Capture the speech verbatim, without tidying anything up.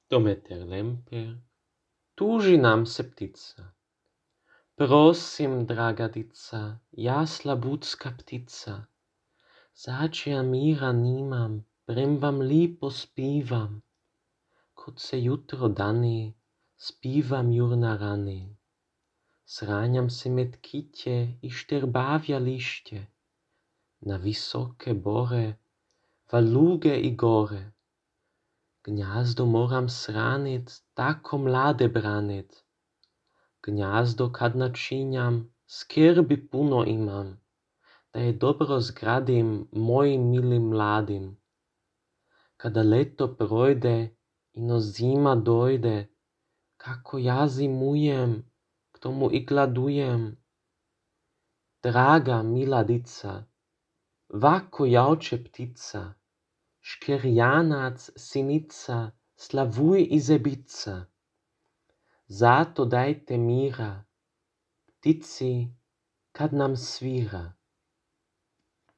Dometer Lemper, tuži nam se ptica. Prosim, draga dica, ja slabutska ptica, začija mira nimam, prem vam lipo spivam. Kod se jutro dani, spivam jur na rani. Sranjam se med kitje i šterbavja lišće, na visoke bore, valuge i gore. Gnjazdo moram sranit, tako mlade branit. Gnjazdo kad načinjam, skrbi puno imam, da je dobro zgradim mojim milim mladim. Kada leto projde i no zima dojde, kako ja zimujem, k tomu i gladujem. Draga mila dica, vako jauče ptica, škerjanac sinica, slavuj i zebica. Zato dajte mira, ptici kad nam svira.